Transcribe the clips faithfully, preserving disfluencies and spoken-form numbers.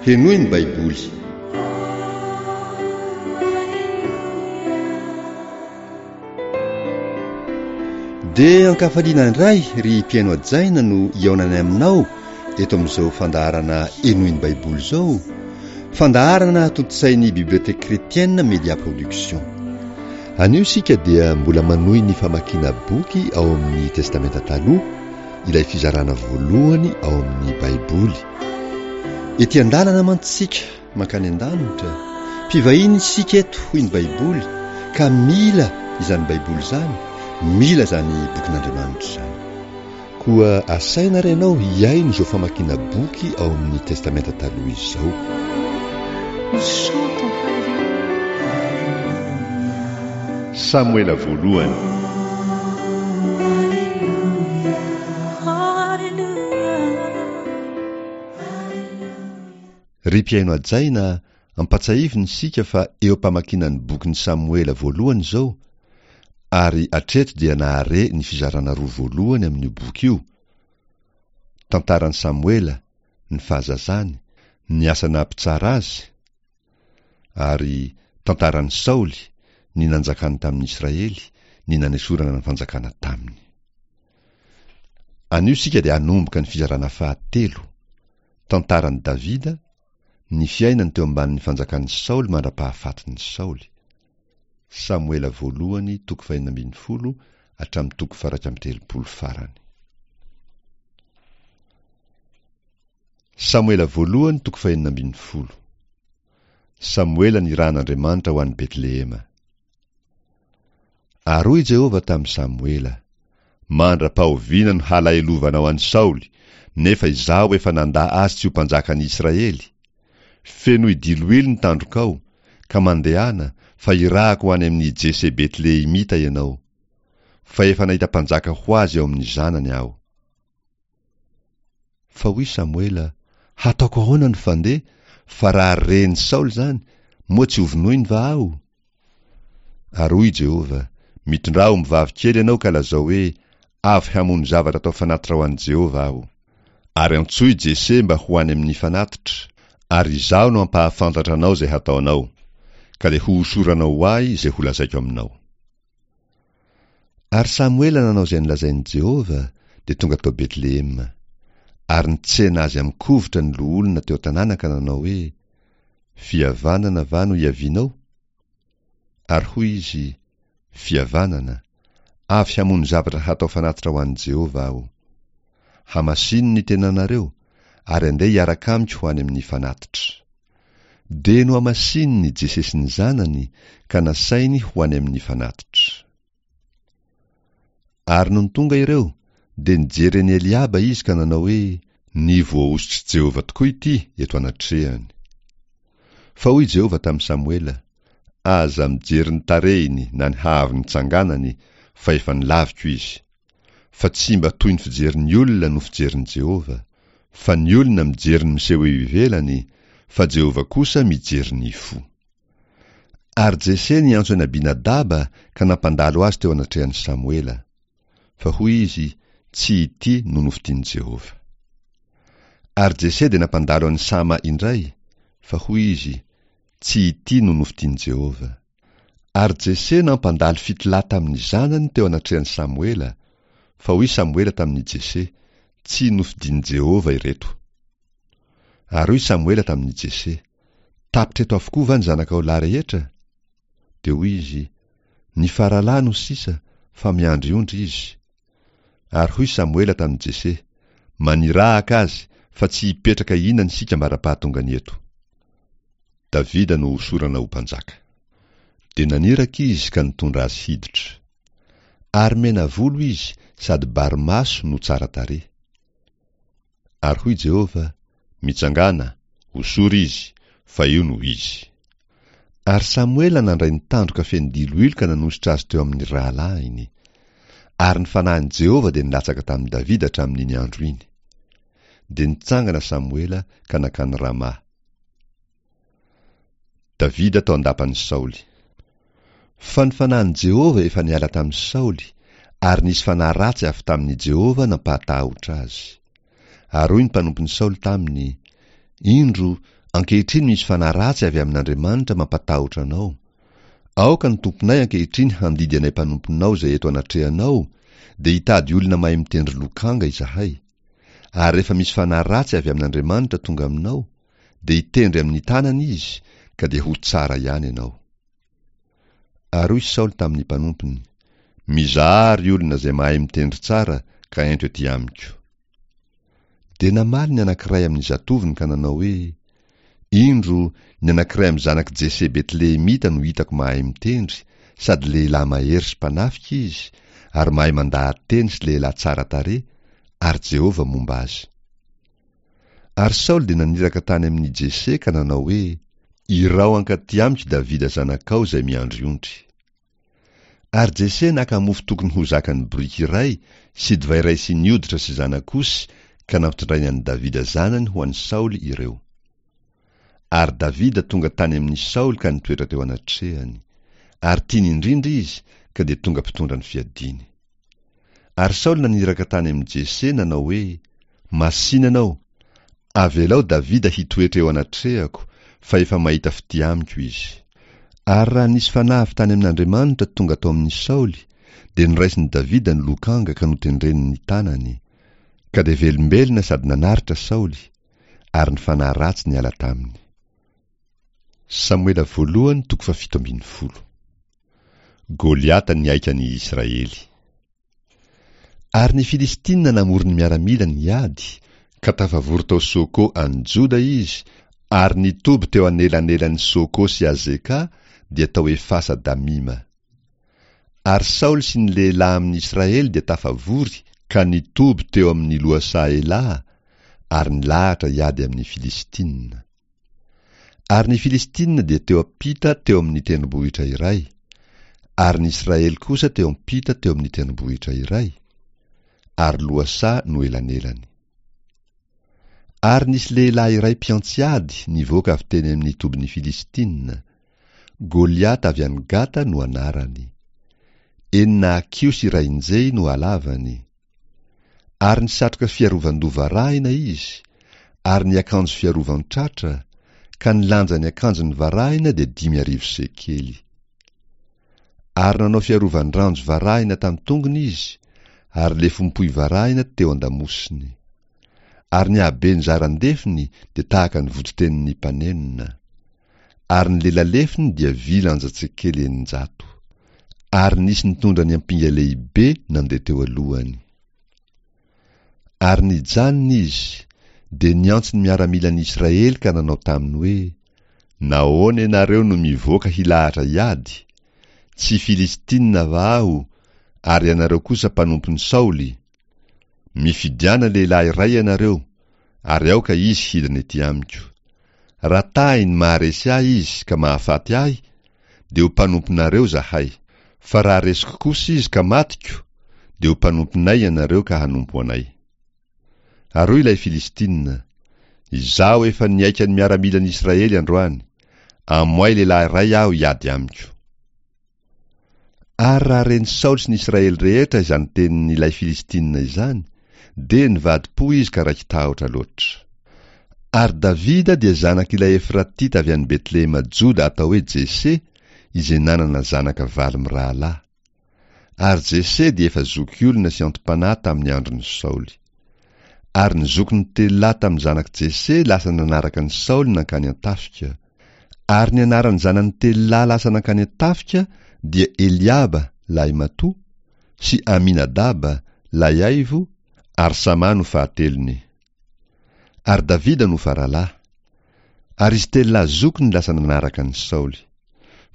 Henoy ny Baiboly. Dia ankafaliana indray ry mpihaino hajaina no hihaonanay aminao eto amin'izao fandaharana Henoy ny Baiboly izao, fandaharana tontosain'ny Bibliothèque Chrétienne Media Production. Anio isika dia mbola manohy ny famakiana boky ao amin'ny Testamenta Taloha, ilay fizarana voalohany ao amin'ny Baiboly. Ety an-dalana mantsy isika mankany an-danitra, mpivahiny isika eto hoy ny Baiboly, ka mila izany Baiboly izany, mila izany bokin'Andriamanitra izany. Koa asaina ary ianao hihaino izao famakiana boky ao amin'ny Testamenta Taloha izao. Samoela voalohany. Ry mpihaino hajaina, ampatsahivina isika fa eo am-pamakiana ny bokin'i Samoela voalohany izao, ary hatreto dia nahare ny fizarana roa voalohany amin'io boky io, tantaran'i Samoela, ny fahazazany, ny asa naha-mpitsara azy, ary tantaran'i Saoly, ny nanjakany tamin'ny Israely, ny nanesorana ny fanjakana taminy. Anio isika dia hanomboka ny fizarana fahatelo, tantaran'i Davida, ny fiainany teo ambanin'ny fanjakan'i Saoly mandra-pahafatin'i Saoly. Samoela voalohany toko fahenina ambin'ny folo hatramin'ny toko faha-iraika amby telopolo farany. Samoela voalohany toko fahenina ambin'ny folo. Samoela nirahan'Andriamanitra ho any Betlehema. Ary hoy Jehovah tamin'i Samoela, Mandra-pahoviana no halahelovanao an'i Saoly, nefa izaho efa nandà azy tsy ho mpanjakan'i Israely? Fenoy diloilo ny tandrokao, ka mandehana, fa irahako ho any amin'i Jese Betlehemita ianao. Fa efa nahita mpanjaka ho azy ao amin'ny zanany aho. Fa hoy Samoela, Hataoko ahoana ny fandeha, fa raha ren'i Saoly izany, moa tsy hovonoiny va aho? Ary hoy Jehovah, Mitondrà ombivavy kely ianao ka lazao hoe, Avy hamono zavatra atao fanatitra ho an'i Jehovah aho. Ary antsoy Jese mba ho any amin'ny fanatitra, ary izaho no hampahafantatra anao izay hataonao, ka dia hohosoranao ho ahy izay holazaiko aminao. Ary Samoela nanao izay nolazain'i Jehovah, dia tonga tao Betlehema. Ary nitsena azy amin-kovitra ny loholona teo an-tanàna ka nanao hoe, Fihavanana va no hiavianao? Ary hoy izy, Fihavanana, avy hamono zavatra hatao fanatitra ho an'i Jehovah aho. Hamasino ny tenanareo, ary andeha hiaraka amiko ho any amin'ny fanatitra. Dia nohamasininy Jese sy ny zanany, ka nasainy ho any amin'ny fanatitra. Ary nony tonga ireo, dia nijery an'i Eliaba izy ka nanao hoe, Ny voahosotr'i Jehovah tokoa ity eto anatrehany. Fa hoy Jehovah tamin'i Samoela, Aza mijery ny tarehiny na ny haavon'ny tsanganany, fa efa nolaviko izy. Fa tsy mba toy ny fijerin'ny olona no fijerin'i Jehovah, fa ny olona mijery ny miseho eo ivelany, fa Jehovah kosa mijery ny fo. Ary Jese niantso an'i Abinadaba ka nampandalo azy teo anatrehan'i Samoela. Fa hoy izy, Tsy ity no nofidin'i Jehovah. Ary Jese dia nampandalo an'i Sama indray, fa hoy izy, Tsy ity no nofidin'i Jehovah. Ary Jese nampandalo fito lahy tamin'ny zanany teo anatrehan'i Samoela, fa hoy Samoela tamin'i Jese, Tsy nofidin'i Jehovah ireto. Ary hoy Samoela tamin'i Jese, Tapitra eto avokoa va ny zanakao lahy rehetra? Dia hoy izy, Ny faralahy no sisa, fa miandry ondry izy. Ary hoy Samoela tamin'i Jese, Manirahaka azy, fa tsy hipetraka hihinana isika ambara-pahatongany eto. Davida no hosorana ho mpanjaka. Dia naniraka izy ka nitondra azy hiditra. Ary mena volo izy sady bary maso no tsara tarehy. Ary hoy Jehovah, Mitsangàna, hosory izy, fa io no izy. Ary Samoela nandray ny tandroka feno diloilo ka nanosotra azy teo amin'ny rahalahiny. Ary ny fanahin'i Jehovah dia nilatsaka tamin'i Davida hatramin'iny andro iny. Dia nitsangana Samoela ka nankany Rama. Davida tao an-dapan'i Saoly. Fa ny fanahin'i Jehovah efa niala tamin'i Saoly, ary nisy fanahy ratsy avy tamin'i Jehovah nampahatahotra azy. Ary hoy ny mpanompon'i Saoly taminy, Indro, Ankehitriny misy fanahy ratsy avy amin'Andriamanitra mampatahotra anao. Aoka ny tomponay ankehitriny handidy anay mpanomponao izay eto anatrehanao, dia hitady olona mahay mitendry lokanga izahay. Ary rehefa misy fanahy ratsy avy amin'Andriamanitra tonga aminao, dia hitendry amin'ny tanany izy, ka dia ho tsara ihany ianao. Ary hoy Saoly tamin'ny mpanompony, Mizaha ry olona izay mahay mitendry tsara, ka ento ety amiko. Dia namaly ny anankiray amin'ny zatovony ka nanao hoe, Indro, ny anankiray amin'ny zanak'i Jese Betlehemita no hitako mahay mitendry, sady lehilahy mahery sy mpanafika izy, ary mahay mandaha-teny sy lehilahy tsara tarehy, ary Jehovah momba azy. Ary Saoly dia naniraka tany amin'i Jese ka nanao hoe, Iraho hankaty amiko Davida zanakao izay miandry ondry. Ary Jese naka mofo tokony ho zakan'ny boriky iray sy divay iray siny hoditra sy zanak'osy ka nampitondrainy an'i Davida zanany ho an'i Saoly ireo. Ary Davida tonga tany amin'i Saoly ka nitoetra teo anatrehany. Ary tiany indrindra izy, ka dia tonga mpitondra ny fiadiany. Ary Saoly naniraka tany amin'i Jese nanao hoe, Masìna ianao, avelao Davida hitoetra eo anatrehako, fa efa mahita fitia amiko izy. Ary raha nisy fanahy avy tany amin'Andriamanitra tonga tao amin'i Saoly, dia noraisin'i Davida ny lokanga ka notendreny ny tanany. Ka dia velombelona sady nanaritra Saoly, ary ny fanahy ratsy niala taminy. Samoela voalohany toko fahafito ambin'ny folo. Goliata nihaika ny Israely. Ary ny Filistina namory ny miaramilany hiady, ka tafavory tao Soko any Joda izy, ary nitoby teo anelanelan'i Soko sy Azeka, dia tao Efasa Damima. Ary Saoly sy ny lehilahy amin'ny Israely dia tafavory ka nitoby teo amin'ny lohasaha Elaha, ary nilahatra hiady amin'ny Filistina. Ary ny Filistina dia teo am-pita teo amin'ny tendrombohitra iray, ary ny Israely kosa teo am-pita teo amin'ny tendrombohitra iray, ary lohasaha no elanelany. Ary nisy lehilahy iray mpiantsy ady nivoaka avy teny amin'ny tobin'ny Filistina. Goliata avy any Gata no anarany. Enina hakiho sy iray injehy no halavany. Ary nisatroka fiarovan-doha varahina izy, ary niakanjo fiarovan-tratra, ka ny lanjan'ny akanjony varahina dia dimy arivo sekely. Ary nanao fiarovan-dranjo varahina tamin'ny tongony izy, ary lefom-pohy varahina teo an-damosiny. Ary ny haben'ny zaran-defony dia tahaka ny voditenin'ny mpanenona. Ary ny lelalefony dia vy lanja-tsekely eninjato. Ary nisy nitondra ny ampinga lehibe nandeha teo alohany. Ary nijanona izy, dia niantso ny miaramilan'ny Israely ka nanao taminy hoe, Nahoana ianareo no mivoaka hilahatra hiady? Tsy Filistina va aho, ary ianareo kosa mpanompon'i Saoly? Mifidiana lehilahy iray ianareo, ary aoka izy hidina ety amiko. Raha tahiny maharesy ahy izy ka mahafaty ahy, dia ho mpanomponareo izahay. Fa raha resiko kosa izy ka matiko, dia ho mpanomponay ianareo ka hanompo anay. Ary hoy ilay Filistina, Izaho efa nihaika ny miaramilan'ny Israely androany. Amoay lehilahy iray aho hiady amiko. Ary raha ren'i Saoly sy ny Israely rehetra izany tenin'ilay Filistina izany, dia nivadi-po izy ka raiki-tahotra loatra. Ary Davida dia zanak'ilay Efratita avy any Betlehema Joda atao hoe Jese, izay nanana zanaka valo mirahalahy. Ary Jese dia efa zokiolona sy anti-panahy tamin'ny andron'i Saoly. Ary ny zokiny telo lahy tamin'ny zanak'i Jese lasa nanaraka an'i Saoly nankany an-tafika. Ary ny anaran'ny zanany telo lahy lasa nankany an-tafika dia Eliaba lahimatoa, sy Aminadaba lahiaivo, ary Sama no fahatelony. Ary Davida no faralahy. Ary izy telo lahy zokiny lasa nanaraka an'i Saoly.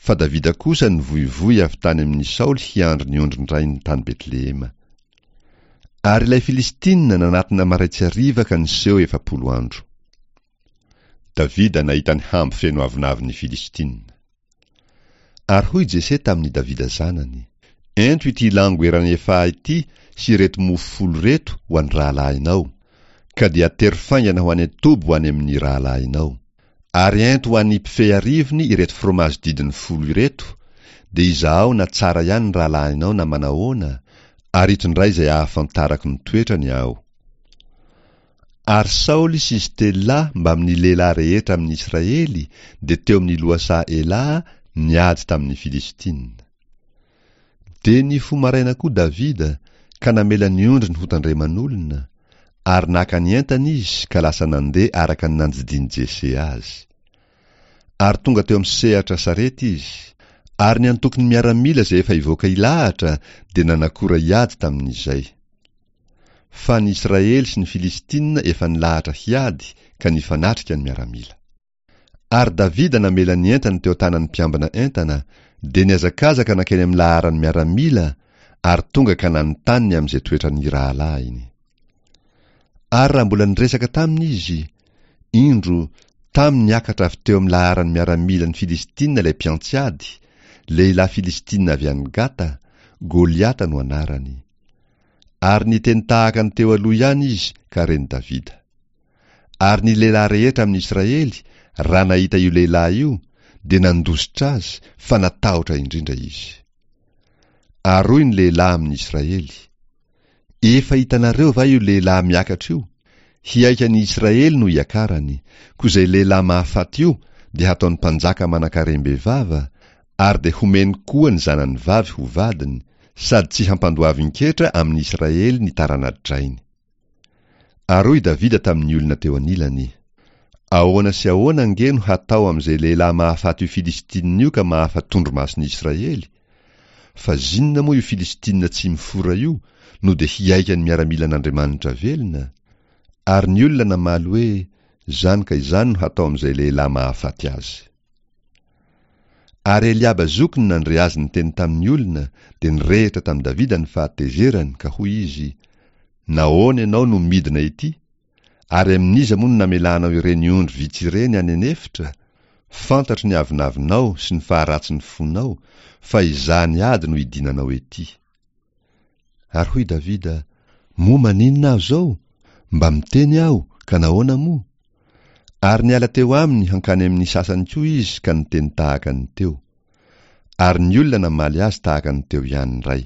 Fa Davida kosa nivoivoy avy tany amin'i Saoly hiandry ny ondrin-drainy tany Betlehema. Ary ilay Filistina nanatona marain-tsy hariva ka niseho efapolo andro. Davida nahita ny hambo feno avonavon'ny Filistina. Ary hoy Jese tamin'i Davida zanany, Ento ity lango eran'ny efaha ity sy ireto mofo folo ireto ho an'ny rahalahinao, ka dia atero faingana ho any an-toby ho any amin'ny rahalahinao. Ary ento ho an'ny mpifehy arivony ireto fromazy didiny folo ireto, dia izahao na tsara ihany ny rahalahinao na manahoana, ary itondray izay ahafantarako ny toetrany aho. Ary Saoly sy izy telo lahy mbamin'ny lehilahy rehetra amin'ny Israely dia teo amin'ny lohasaha Elaha niady tamin'ny Filistina. Dia nifoha maraina koa Davida ka namela ny ondriny hotandreman'olona, ary naka ny entany izy ka lasa nandeha araka ny nandidian'i Jese azy. Ary tonga teo amin'ny sehatra sarety izy, ary ny antokon'ny miaramila izay efa hivoaka hilahatra dia nanakora hiady tamin'izay. Fa ny Israely sy ny Filistina efa nilahatra hiady ka nifanatrika ny miaramila. Ary Davida namela ny entany teo an-tanan'ny mpiambina entana, dia nihazakazaka nankeny amin'ny laharan'ny miaramila ary tonga ka nanontany ny amin'izay toetran'ny rahalahiny. Ary raha mbola niresaka taminy izy, indro, tamy niakatra avy teo amin'ny laharan'ny miaramilan'ny Filistina ilay mpiantsy ady, lehilahy Filistina avy any Gata, Goliata no anarany. Ary niteny tahaka ny teo aloha ihany izy ka ren'i Davida. Ary ny lehilahy rehetra amin'ny Israely, raha nahita io lehilahy io, dia nandositra azy, fa natahotra indrindra izy. Ary hoy ny lehilahy amin'ny Israely, Efa hitanareo va io lehilahy miakatra io? Hihaika ny Israely no hiakarany, koa izay lehilahy mahafaty io dia hataony mpanjaka manan-karem-bevava, ary dia homeny koa ny zanany vavy ho vadiny, sady tsy hampandoavin-ketra amin'ny Israely ny tarana-drainy. Ary hoy Davida tamin'ny olona teo anilany, Ahoana sy ahoana ange no hatao amin'izay lehilahy mahafaty io Filistinina io ka mahafa-tondromason'i Israely? Fa zinona moa io Filistinina tsy mifora io no dia hihaika ny miaramilan'Andriamanitra velona? Ary ny olona namaly hoe, Izany ka izany no hatao amin'izay lehilahy mahafaty azy. Ary Eliaba zokiny nandre azy niteny tamin'ny olona, dia nirehitra tamin'i Davida ny fahatezerany, ka hoy izy, Nahoana ianao no midina ety? Ary amin'iza moa no namelanao ireny ondry vitsy ireny any an'efitra? Fantatro ny avonavonao sy ny faharatsin'ny fonao, fa hizaha ny ady no idinanao ety. Ary hoy Davida, Moa maninona aho izao? Mba miteny aho, ka nahoana moa? Ary niala teo aminy hankany amin'ny sasany koa izy ka niteny tahaka ny teo. Ary ny olona namaly azy tahaka ny teo ihany indray.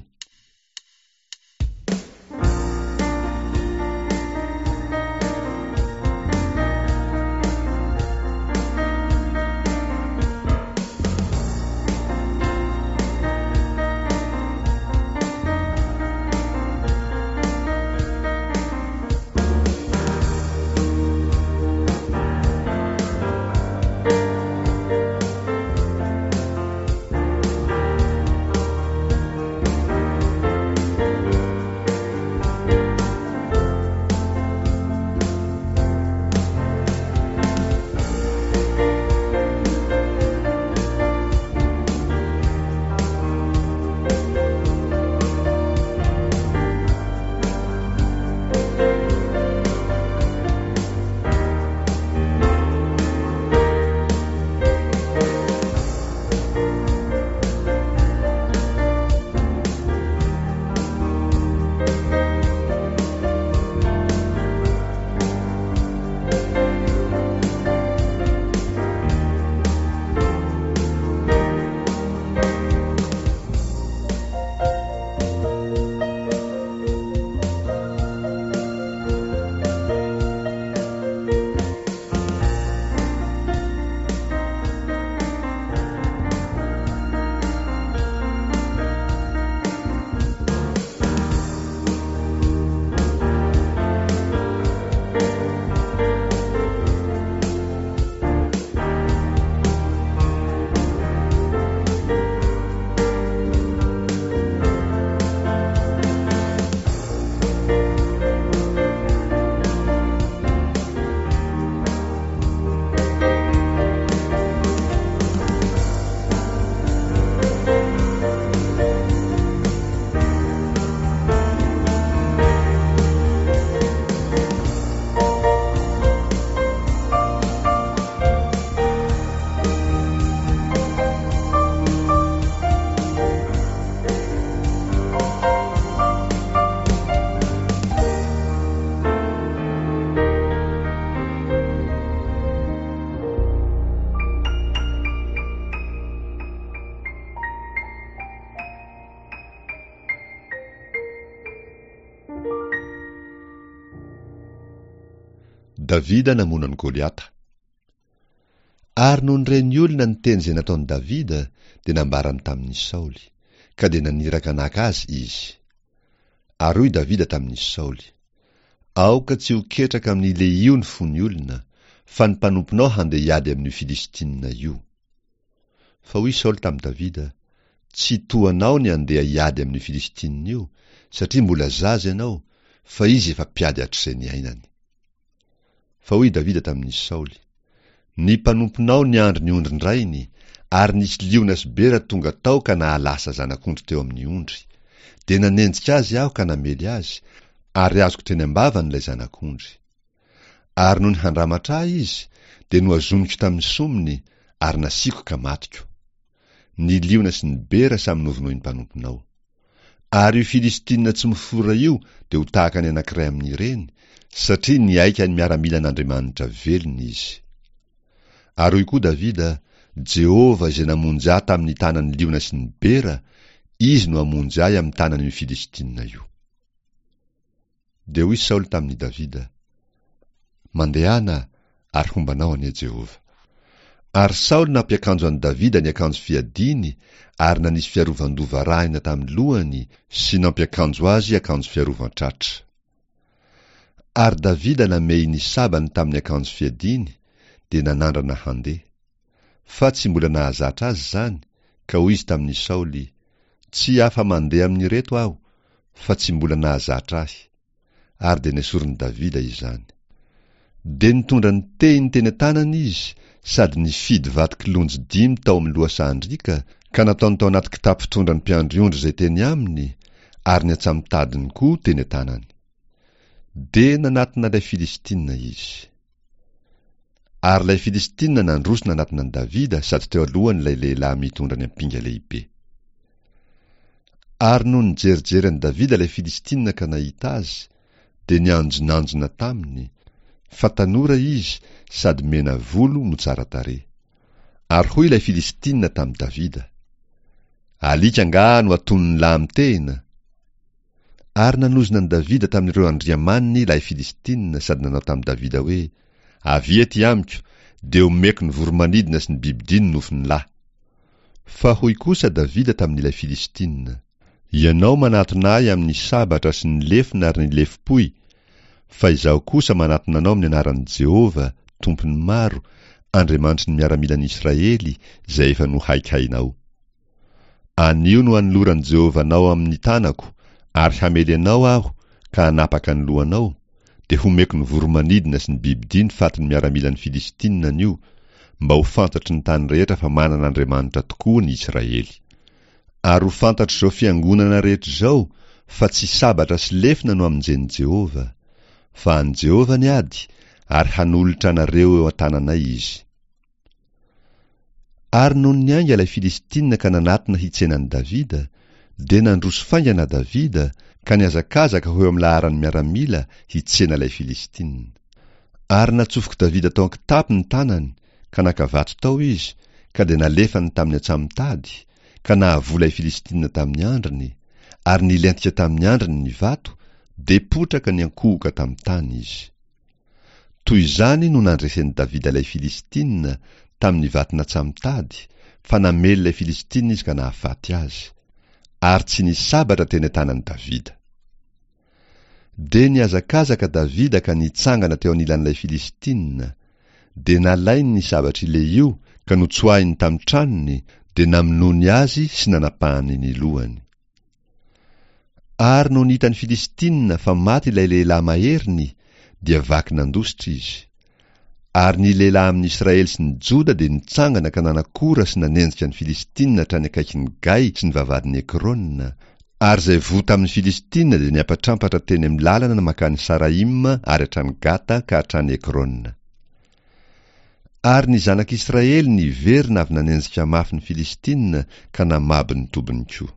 Davida namono an'i Goliata. Ary nony ren'ny olona ny teny izay nataon'i Davida, dia nambarany tamin'i Saoly, ka dia naniraka naka azy izy. Ary hoy Davida tamin'i Saoly, Aoka tsy ho ketraka amin'ny lehio ny fon'ny olona, fa ny mpanomponao handeha hiady amin'io Filistina io. Fa hoy Saoly tamin'i Davida, Tsy toa anao ny handeha hiady amin'io Filistina io, satria mbola zaza ianao, fa izy efa mpiady hatrizay niainany. Fa hoy Davida tamin'i Saoly, Ny mpanomponao niandry ny ondrin-drainy, ary nisy liona sy bera tonga tao ka nahalasa zanak'ondry teo amin'ny ondry. Dia nanenjika azy aho ka namely azy, ary azoko teny am-bavany ilay zanak'ondry. Ary nony handramatra ahy izy, dia nohazoniko tamin'ny somony, ary nasiako ka matiko. Ny liona sy ny bera samy novonoin'ny mpanomponao. Ary io Filistina tsy mifora io dia ho tahaka ny anankiray amin'ireny, satria nihaika ny miaramilan'Andriamanitra velona izy. Ary hoy koa Davida, Jehovah izay namonjy ahy tamin'ny tanan'ny liona sy ny bera, Izy no hamonjy ahy amin'ny tanan'io Filistina io. Dia hoy Saoly tamin'i Davida, Mandehana, ary homba anao anie Jehovah. Ary Saoly nampiakanjo an'i Davida ny akanjo fiadiany ary nanisy fiarovan-doha varahina tamin'ny lohany sy nampiakanjo azy akanjo fiarovan-tratra. Ary Davida namehy ny sabany tamin'ny akanjo fiadiany, dia nanandrana handeha. Fa tsy mbola nahazatra azy izany, ka hoy izy tamin'i Saoly, Tsy afa-mandeha amin'ireto aho, fa tsy mbola nahazatra ahy. Ary dia nesorin'i Davida izany. Dia nitondra ny tehiny teny an-tanany izy sady nifidy vato kilonjy dimy tao amin'ny lohasahan-driaka ka nataony tao anaty kitapo fitondran'ny mpiandry ondry izay teny aminy, ary ny antsamotadiny koa teny an-tanany. Dia nanatona ilay Filistina izy. Ary ilay Filistina nandroso nanatona an'i Davida sady teo alohany ilay lehilahy mitondra ny ampinga lehibe. Ary nony nijerijery an'i Davida ilay Filistina ka nahita azy, dia nianjonanjona taminy, fa tanora izy sady mena volo no tsara tarehy. Ary hoy ilay Filistina tamin'i Davida, Alika angaha no atonin'ny lahy mitehina? Ary nanozona an'i Davida tamin'ireo andriamaniny ilay Filistina sady nanao tamin'i Davida hoe, Avia ety amiko, dia omeko ny voro-manidina sy ny bibidia ny nofon'ny lahy. Fa hoy kosa Davida tamin'ilay Filistina, Ianao manatona ahy amin'ny sabatra sy ny lefona ary ny lefom-pohy, fa izaho kosa manatona anao amin'ny anaran'i Jehovah, Tompon'ny maro, Andriamanitry ny miaramilan'i Israely, izay efa nohaikainao. Anio no hanoloran'i Jehovah anao amin'ny tanako, ary hamely anao aho ka hanapaka ny lohanao, dia homeko ny voro-manidina sy ny bibidia ny fatin'ny miaramilan'ny Filistina anio, mba ho fantatry ny tany rehetra fa manana Andriamanitra tokoa ny Israely. Ary ho fantatr'izao fiangonana rehetra izao fa tsy sabatra sy lefona no hamonjen'i Jehovah, fa an'i Jehovah ny ady, ary hanolotra anareo eo an-tananay izy. Ary nony niainga ilay Filistina ka nanatona hitsena an'i Davida, dia nandroso faingana Davida ka nihazakazaka ho eo amin'ny laharan'ny miaramila hitsena ilay Filistina. Ary natsofok'i Davida tao an-kitapo ny tanany, ka naka vato tao izy, ka dia nalefany tamin'ny antsamotady, ka nahavoa ilay Filistina tamin'ny andriny, ary nilentika tamin'ny andriny ny vato, dia potraka niankohoka tamin'ny tany izy. Toy izany no nandresen'i Davida ilay Filistina tamin'ny vato natsamotady, fa namely ilay Filistina izy ka nahafaty azy. Ary tsy nisy sabatra teny an-tanan'i Davida. Dia nihazakazaka Davida ka nitsangana teo anilan'ilay Filistina. Dia nalainy ny sabatr'i Lehio ka notsoahiny tamin'ny tranony, dia namonoany azy sy nanapahany ny lohany. Ary nony hitan'ny Filistina fa maty ilay lehilahy maheriny, dia vaky nandositra izy. Ary ny lehilahy amin'ny Israely sy ny Joda dia nitsangana ka nanakora sy nanenjika ny Filistina hatrany akaikin'i Gay sy ny vavahadin'i Ekrona, ary izay voa tamin'ny Filistina dia niampatrampatra teny amin'ny lalana mankany Saraima ary hatrany Gata ka hatrany Ekrona. Ary ny zanak'Israely niverina avy nanenjika mafy ny Filistina ka namabo ny tobiny koa.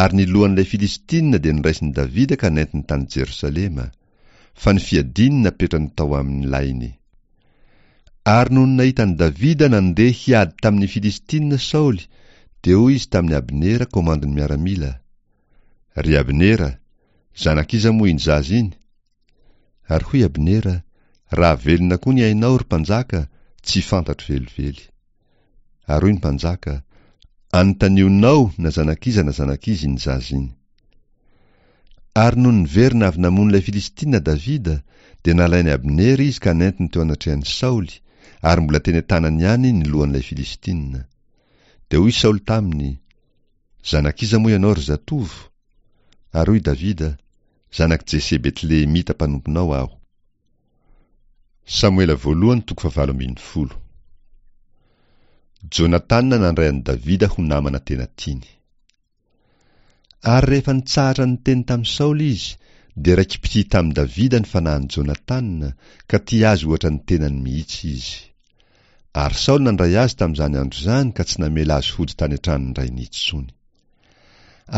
Ary ny lohan'ilay Filistina dia noraisin'i Davida ka nentiny tany Jerosalema, fa ny fiadiany napetrany tao amin'ny lainy. Ary nony nahita an'i Davida nandeha hiady tamin'ny Filistina Saoly, dia hoy izy tamin'i Abnera komandin'ny miaramila, Ry Abnera, zanak'iza moa iny zaza iny? Ary hoy Abnera, Raha velona koa ny ainao, ry mpanjaka, tsy fantatro velively. Ary hoy ny mpanjaka, Anontanionao na zanak'iza na zanak'iza iny zaza iny. Ary nony niverina avy namono ilay Filistina Davida, dia nalain'i Abnera izy ka nentiny teo anatrehan'i Saoly, ary mbola teny an-tanany ihany ny lohan'ilay Filistina. Dia hoy Saoly taminy, Zanak'iza moa ianao, ry zatovo? Ary hoy Davida, Zanak'i Jese Betlehemita mpanomponao aho. Samoela voalohany toko fahavalo ambin'ny folo. Jonatana nandray an'i Davida ho namana tena tiany. Ary rehefa nitsahatra niteny tamin'i Saoly izy, dia raiki-pitia tamin'i Davida ny fanahin'i Jonatana, ka tia azy ohatra ny tenany mihitsy izy. Ary Saoly nandray azy tamin'izany andro izany ka tsy namela azy hody tany an-tranon-drainy intsony.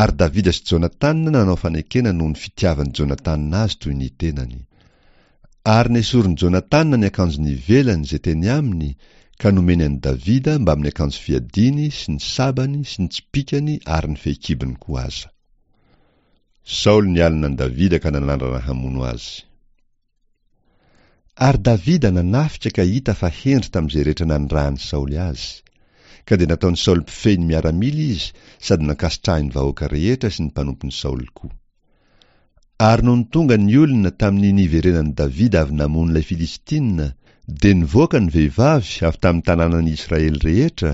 Ary Davida sy Jonatana nanao fanekena noho ny fitiavan'i Jonatana azy toy ny tenany. Ary nesorin'i Jonatana ny akanjony ivelany izay teny aminy ka nomeny an'i Davida mbamin'ny akanjo fiadiany sy ny sabany sy ny tsipìkany ary ny fehikibony koa aza. Saoly nialona an'i Davida ka nanandrana hamono azy. Ary Davida nanafika ka hita fa hendry tamin'izay rehetra nanirahan'i Saoly azy. Ka dia nataon'i Saoly mpifehy ny miaramila izy sady nankasitrahin'ny vahoaka rehetra sy ny mpanompon'i Saoly koa. Ary nony tonga ny olona tamin'ny niverenan'i Davida avy namono ilay Filistina, dia nivoaka ny vehivavy avy tamin'ny tanànan'i Israely rehetra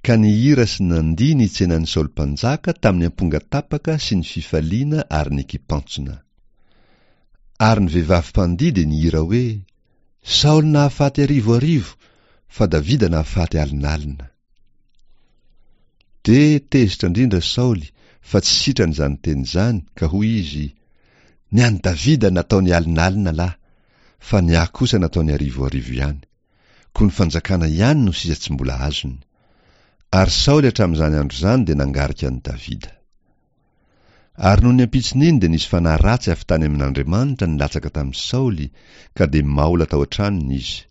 ka nihira sy nandihy nitsena an'i Saoly mpanjaka tamin'ny ampongatapaka sy ny fifaliana ary ny kipantsona. Ary ny vehivavy mpandihy dia nihira hoe, Saoly nahafaty arivo arivo, fa Davida nahafaty alinalina. Dia tezitra indrindra Saoly fa tsy sitrany izany teny izany, ka hoy izy, Ny an'i Davida nataony alinalina lahy, fa ny ahy kosa nataony arivo arivo ihany. Koa ny fanjakana ihany no sisa tsy mbola azony. Ary Saoly hatramin'izany andro izany dia nangarika an'i Davida. Ary nony ampitson'iny dia nisy fanahy ratsy avy tany amin'Andriamanitra nilatsaka tamin'i Saoly, ka dia maola tao an-tranony izy.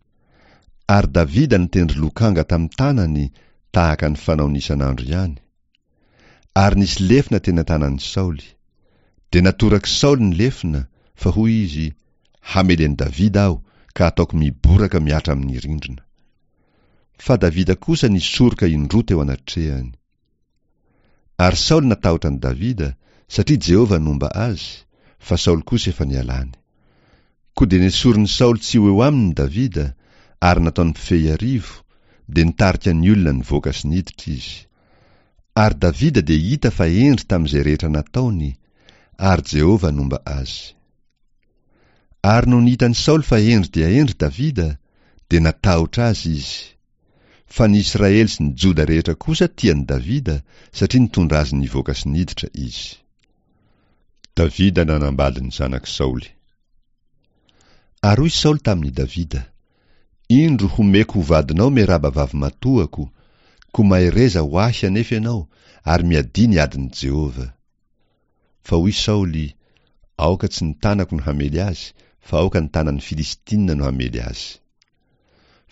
Ary Davida nitendry lokanga tamin'ny tanany, tahaka ny fanaony isan'andro ihany. Ary nisy lefona teny an-tanan'i Saoly. Dia natorak'i Saoly ny lefona, fa hoy izy, Hamely an'i Davida aho, ka hataoko miboraka mihatra amin'ny rindrina. Fa Davida kosa nisoroka indroa teo anatrehany. Ary Saoly natahotra an'i Davida, satria Jehovah nomba azy, fa Saoly kosa efa nialany. Koa dia nesorin'i Saoly tsy ho eo aminy Davida, ary nataony mpifehy arivo, dia nitarika ny olona nivoaka sy niditra izy. Ary Davida dia hita fa hendry tamin'izay rehetra nataony, ary Jehovah nomba azy. Ary nony hitan'i Saoly fa hendry dia hendry Davida, dia natahotra azy izy. Fa ny Israely sy ny Joda rehetra kosa tia an'i Davida, satria nitondra azy nivoaka sy niditra izy. Davida nanambady ny zanak'i Saoly. Ary hoy Saoly tamin'i Davida, Indro homeko ho vadinao Meraba vavimatoako, koa mahereza ho ahy anefa ianao, ary miadia ny adin'i Jehovah. Fa hoy Saoly, Aoka tsy ny tanako no hamely azy, fa aoka ny tanan'ny Filistina no hamely azy.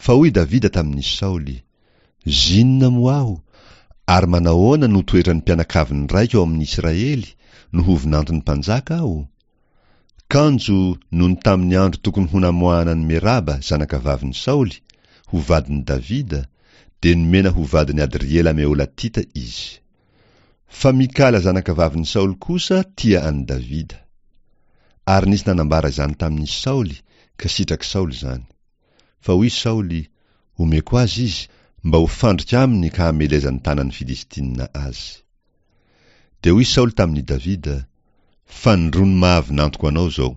Fa hoy Davida tamin'i Saoly, Zinona moa aho, ary manahoana no toetran'ny mpianakavin'ny raiko ao amin'ny Israely, no ho vinanton'ny mpanjaka aho? Kanjo nony tamin'ny andro tokony ho namoahana an'i Meraba, zanakavavin'i Saoly, ho vadin'i Davida, dia nomena ho vadin'i Adriela Meholatita izy. Fa Mikala zanakavavin'i Saoly kosa tia an'i Davida. Ary nisy nanambara izany tamin'i Saoly, ka sitrak'i Saoly izany. Fa hoy Saoly, Omeko azy izy, mba ho fandrika aminy ka hamelezan'ny tanan'ny Filistina azy. Dia hoy Saoly tamin'i Davida, Fanindroany maha-vinantoko anao izao.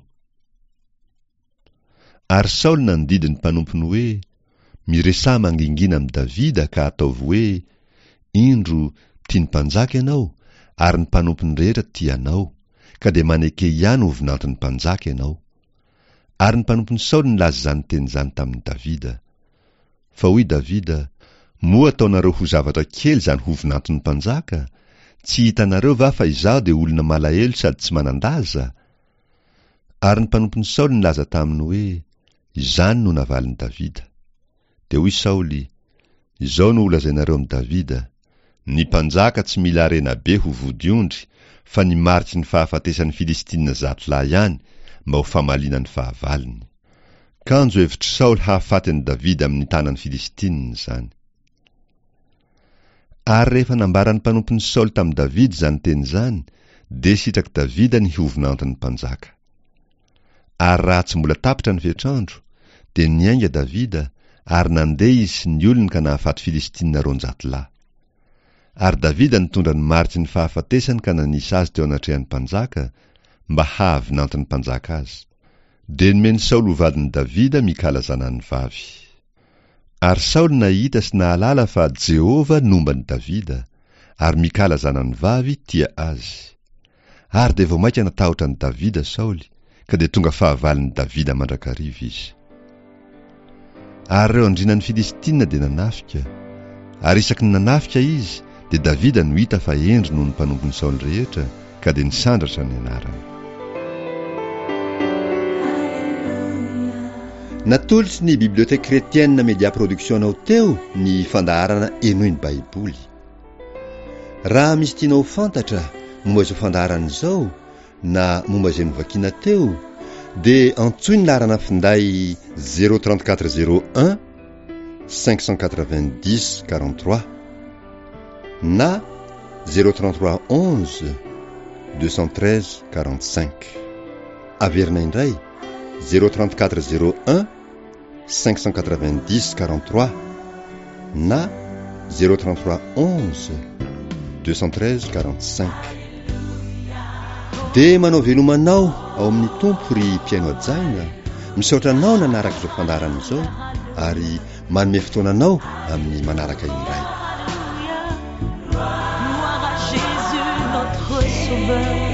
Ary Saoly nandidy ny mpanompony hoe, Miresaha mangingina amin'i Davida ka ataovy hoe, Indro, tian'ny mpanjaka ianao, ary ny mpanompony rehetra tia anao, ka dia maneke ihany ho vinanton'ny mpanjaka ianao. Ary ny mpanompon'i Saoly nilaza izany teny izany tamin'i Davida. Fa hoy Davida, Moa ataonareo ho zavatra kely izany ho vinanton'ny mpanjaka? Tsy hitanareo va fa izaho dia olona malahelo sady tsy manan-daza? Ary ny mpanompon'i Saoly nilaza taminy hoe, Izany no navalin'i Davida. Dia hoy Saoly, Izao no holazainareo amin'i Davida, Ny mpanjaka tsy mila harena be ho vodiondry, fa ny mariky ny fahafatesan'ny Filistina zato lahy ihany, mba ho famaliana ny fahavalony. Kanjo hevitr'i Saoly hahafaty an'i Davida amin'ny tanan'ny Filistinina izany. Ary rehefa nambaran'ny mpanompon'i Saoly tamin'i Davida izany teny izany, dia sitrak'i Davida ny ho vinanton'ny mpanjaka. Ary raha tsy mbola tapitra ny fetr'andro, dia niainga Davida, ary nandeha izy sy ny olony ka nahafaty Filistinina roanjato lahy. Ary Davida nitondra ny mariky ny fahafatesany ka nanisa azy teo anatrehan'ny mpanjaka, mba hahavinanton'ny mpanjaka azy. Dia nomen'i Saoly ho vadin'i Davida Mikala zanany vavy. Ary Saoly nahita sy nahalala fa Jehovah nomba an'i Davida, ary Mikala zanany vavy tia azy. Ary dia vao mainka natahotra an'i Davida Saoly, ka dia tonga fahavalon'i Davida mandrakariva izy. Ary ireo andrianan'ny Filistinina dia nanafika. Ary isaky ny nanafika izy, dia Davida no hita fa hendry noho ny mpanompon'i Saoly rehetra, ka dia nisandratra ny anarany. Natolotry ny Bibliothèque Chrétienne Media Production anao teo ny fandaharana Henoy ny Baiboly. Raha misy tianao ho fantatra momba izao fandaharana izao na momba izay novakiana teo, dia antsoy ny laharana finday zéro trente quatre zéro un cinq cent quatre-vingt-dix quarante-trois na zéro trente-trois onze deux cent treize quarante-cinq. Averina indray zéro trente-quatre zéro un cinq cent quatre-vingt-dix quarante-trois na zéro trente-trois onze deux cent treize quarante-cinq. Dia manao veloma anao ao amin'ny Tompo ry mpihaino hajaina, misaotra anao nanaraka izao fandaharana izao ary manome fotoana anao amin'ny manaraka indray. Gloire à Jésus, notre Sauveur.